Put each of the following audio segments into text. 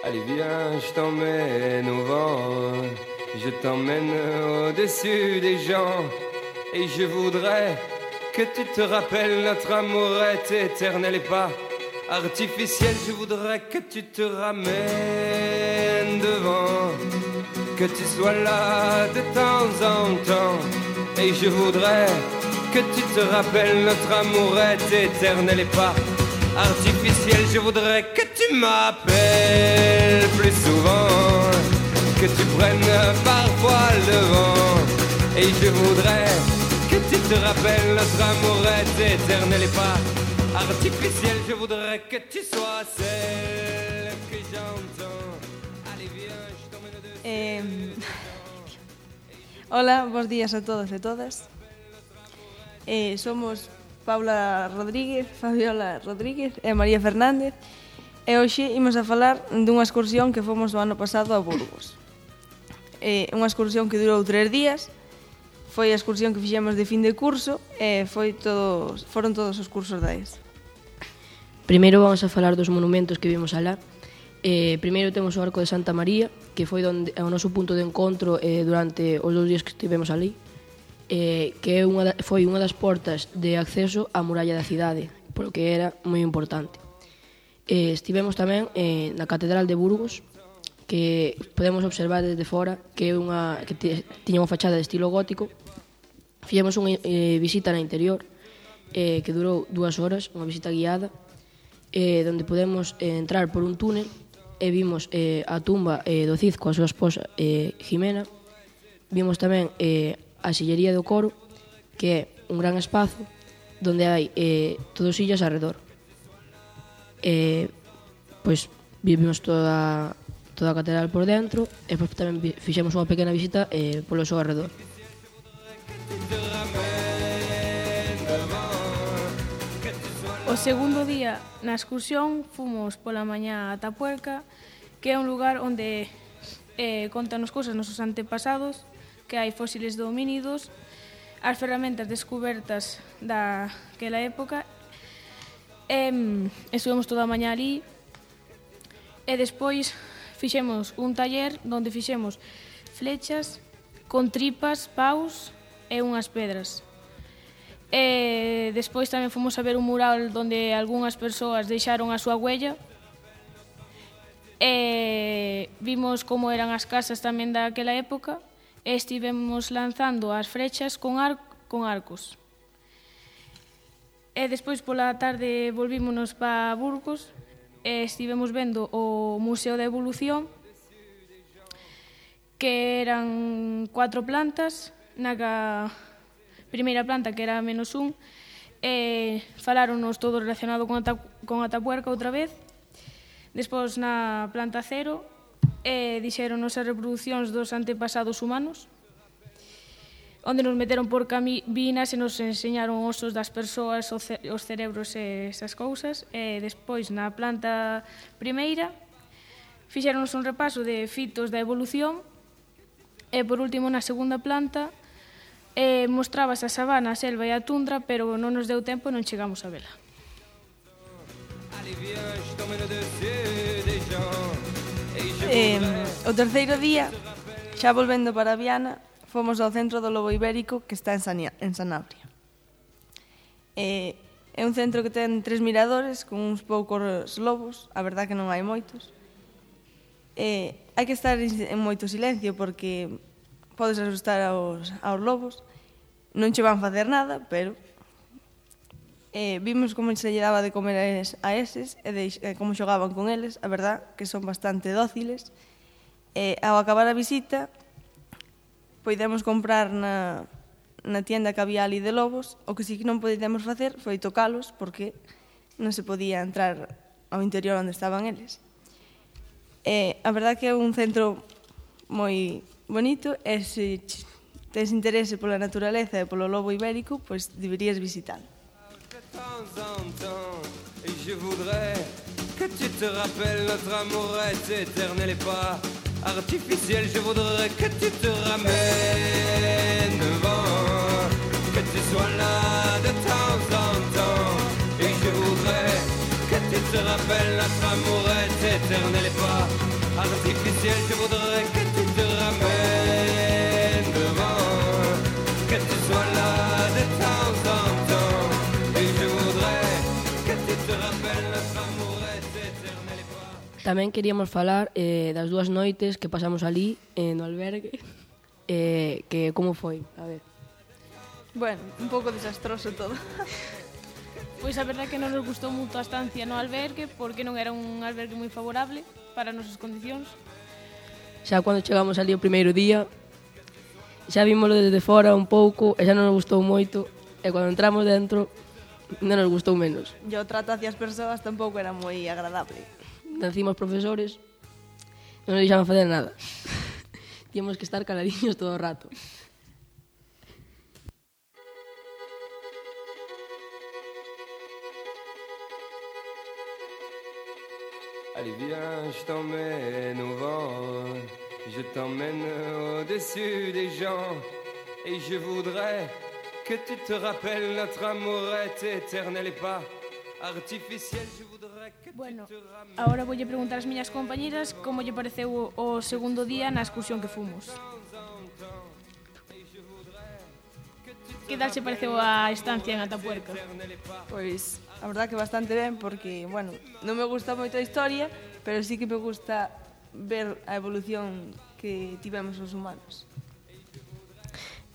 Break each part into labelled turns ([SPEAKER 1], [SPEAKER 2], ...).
[SPEAKER 1] Allez viens, je t'emmène au vent, je t'emmène au-dessus des gens. Et je voudrais que tu te rappelles, notre amour est éternel et pas artificiel. Je voudrais que tu te ramènes devant, que tu sois là de temps en temps. Et je voudrais que tu te rappelles, notre amour est éternel et pas artificiel. Je voudrais que tu m'appelles plus souvent, que tu prennes parfois le vent. Et je voudrais que tu te rappelles, notre amour est éternel et pas artificiel. Je voudrais que tu sois celle que j'entends. Allez viens, je t'emmène de...
[SPEAKER 2] Hola, bons días a todos e todas. Somos Paula Rodríguez, Fabiola Rodríguez e María Fernández. E hoxe imos a falar dunha excursión que fomos o ano pasado a Burgos. Unha excursión que durou 3 días. Foi a excursión que fixemos de fin de curso e foron todos os cursos da ES.
[SPEAKER 3] Primeiro vamos a falar dos monumentos que vimos alá. Primeiro temos o Arco de Santa María, que foi o noso punto de encontro durante os 2 días que estivemos ali, que foi unha das portas de acceso á muralla da cidade, polo que era moi importante. Estivemos tamén na Catedral de Burgos, que podemos observar desde fora, que tiña unha fachada de estilo gótico. Fixemos unha visita na interior, que durou 2 horas, unha visita guiada, donde podemos entrar por un túnel e vimos a tumba do Cid coa súa esposa Jimena. Vimos tamén a sillería do coro, que é un gran espazo donde hai todos sillas arredor. Pois vimos toda a catedral por dentro e pois tamén fixemos unha pequena visita polo seu arredor.
[SPEAKER 4] O segundo día na excursión fomos pola mañá a Tapuerca, que é un lugar onde contanos cousas nosos antepasados, que hai fósiles de homínidos, as ferramentas descubertas daquela época. Estuvemos toda a mañá ali e despois fixemos un taller onde fixemos flechas con tripas, paus e unhas pedras. Despois tamén fomos a ver un mural onde algunhas persoas deixaron a súa huella. Vimos como eran as casas tamén daquela época e estivemos lanzando as flechas con arcos. Despois pola tarde volvímonos para Burgos e estivemos vendo o Museo da Evolución, que eran 4 plantas. Na primeira planta, que era -1, faláronos todo relacionado con Atapuerca outra vez. Despois na planta 0 dixéronos as reproduccións dos antepasados humanos, onde nos meteron por cabinas e nos enseñaron osos das persoas, os cerebros e esas cousas. Despois na planta primeira fixéronos un repaso de fitos da evolución e por último na segunda planta mostrabas a sabana, a selva e a tundra, pero non nos deu tempo e non chegamos a vela.
[SPEAKER 2] O terceiro día, xa volvendo para Viana, fomos ao centro do lobo ibérico, que está en Sanabria. É un centro que ten 3 miradores con uns poucos lobos, a verdad que non hai moitos. Hai que estar en moito silencio porque podes asustar aos lobos. Non che van facer nada, pero vimos como se lle daba de comer a eses e como xogaban con eles. A verdad que son bastante dóciles. Ao acabar a visita podemos comprar na tienda que había ali de lobos. O que sí que non podemos facer foi tocalos porque non se podía entrar ao interior onde estaban eles. A verdad que é un centro moi bonito e se tens interese pola naturaleza e polo lobo ibérico, pois deberías visitar.
[SPEAKER 1] Je voudrais que tu te rappelles, notre amour est éternel et pas artificiel. Je voudrais que tu te ramènes devant, que tu sois là de temps en temps. Et je voudrais que tu te rappelles, notre amour est éternel et pas artificiel, je voudrais que tu te ramènes devant, que tu sois là de temps en temps. Et je voudrais que tu te rappelles notre amour est éternel et pas.
[SPEAKER 3] Tamén queríamos falar das 2 noites que pasamos ali no albergue, que como foi, a ver.
[SPEAKER 2] Bueno, un pouco desastroso todo.
[SPEAKER 4] Pois a verdade que non nos gustou moito a estancia no albergue porque non era un albergue moi favorable para as nosas condicións.
[SPEAKER 3] Xa cando chegamos ali o primeiro día, xa vimoslo desde fora un pouco e xa non nos gustou moito, e cando entramos dentro non nos gustou menos.
[SPEAKER 2] E o trato hacia as persoas tampouco era moi agradable.
[SPEAKER 3] Encima os profesores non nos deixaban facer nada. Tíamos que estar caladiños todo o rato.
[SPEAKER 1] Allez viens, je t'emmène au vent, je t'emmène au-dessus des gens, et je voudrais que tu te rappelles notre amour est éternel et pas artificiel, je voudrais que
[SPEAKER 4] Bueno,
[SPEAKER 1] tu te ramènes.
[SPEAKER 4] agora voulle preguntar ás miñas compañeras como lle pareceu o segundo día na excursión que fomos. Que tal se pareceu a estancia en Atapuerca?
[SPEAKER 2] Pois, a verdad que bastante ben, porque, bueno, non me gusta moito a historia, pero sí que me gusta ver a evolución que tivemos os humanos.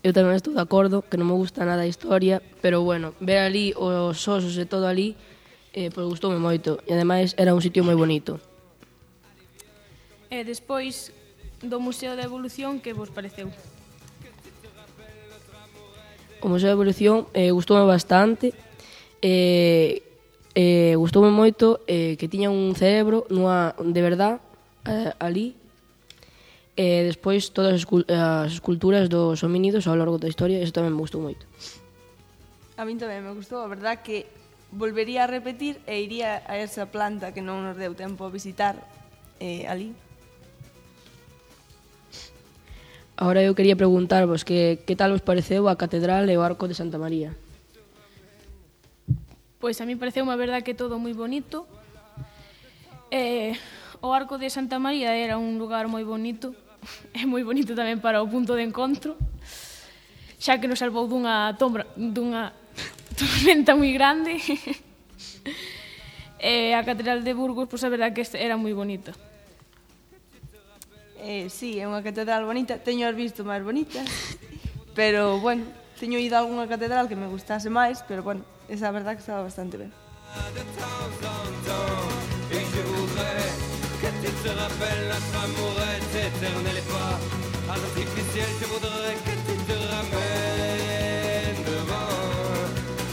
[SPEAKER 3] Eu tamén estou de acordo, que non me gusta nada a historia, pero bueno, ver ali os osos e todo ali, pois gustoume moito, e ademais era un sitio moi bonito.
[SPEAKER 4] E despois do Museo da Evolución, que vos pareceu?
[SPEAKER 3] O Museo da Evolución gustoume bastante, gustoume moito que tiña un cerebro de verdad ali, e despois todas as esculturas dos homínidos ao longo da historia, eso tamén me gustou moito.
[SPEAKER 2] A min tamén me gustou, a verdad que volvería a repetir e iría a esa planta que non nos deu tempo a visitar ali.
[SPEAKER 3] Agora eu quería preguntarvos que tal vos pareceu a Catedral e o Arco de Santa María.
[SPEAKER 4] Pois a mí pareceu unha verdade que todo moi bonito. O Arco de Santa María era un lugar moi bonito. É moi bonito tamén para o punto de encontro, xa que nos salvou dunha tormenta moi grande. E a Catedral de Burgos, pois a verdade que era moi bonita.
[SPEAKER 2] Sí, é unha catedral bonita, teño as visto máis bonitas, pero, bueno, teño ido a algunha catedral que me gustase máis, pero, bueno, esa a verdade que estaba bastante ben.
[SPEAKER 1] De temps en temps, et je voudrais que tu te rappelles notre amour est éternel et pas artificiel, je voudrais que tu te ramènes devant,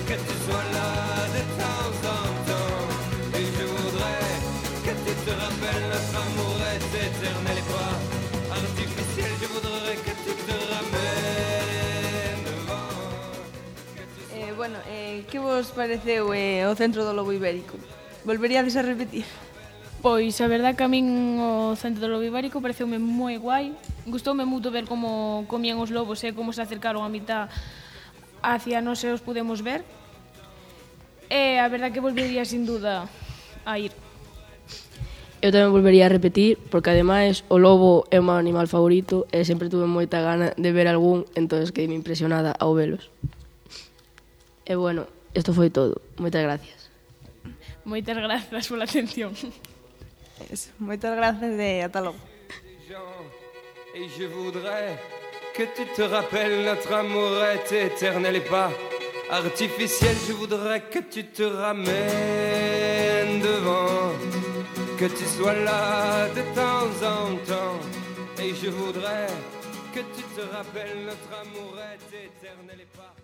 [SPEAKER 1] que tu sois là de temps en temps, et je voudrais que tu te rappelles notre amour est éternel et pas artificiel, je voudrais que tu te ramènes devant.
[SPEAKER 2] Bueno, que vos pareceu o centro do Lobo Ibérico? Volveríades a repetir?
[SPEAKER 4] Pois a verdade que a min o centro do Lobo Ibérico pareceume moi guai. Gustoume moito ver como comían os lobos e como se acercaron a mitad hacia nós e os podemos ver. E a verdade que volvería sin duda a ir.
[SPEAKER 3] Eu tamén volvería a repetir, porque ademais o lobo é o meu animal favorito e sempre tuve moita gana de ver algún, entonces quedei impresionada ao velos. E bueno, isto foi todo. Moitas gracias.
[SPEAKER 4] Moitas grazas pola atención.
[SPEAKER 2] Eso, moitas grazas e ata logo.
[SPEAKER 1] Et je voudrais que tu te rappelles notre amour est éternel et pas artificiel. Je voudrais que tu te ramènes devant, que tu sois là de temps en temps. Et je voudrais que tu te rappelles notre amour est éternel et pas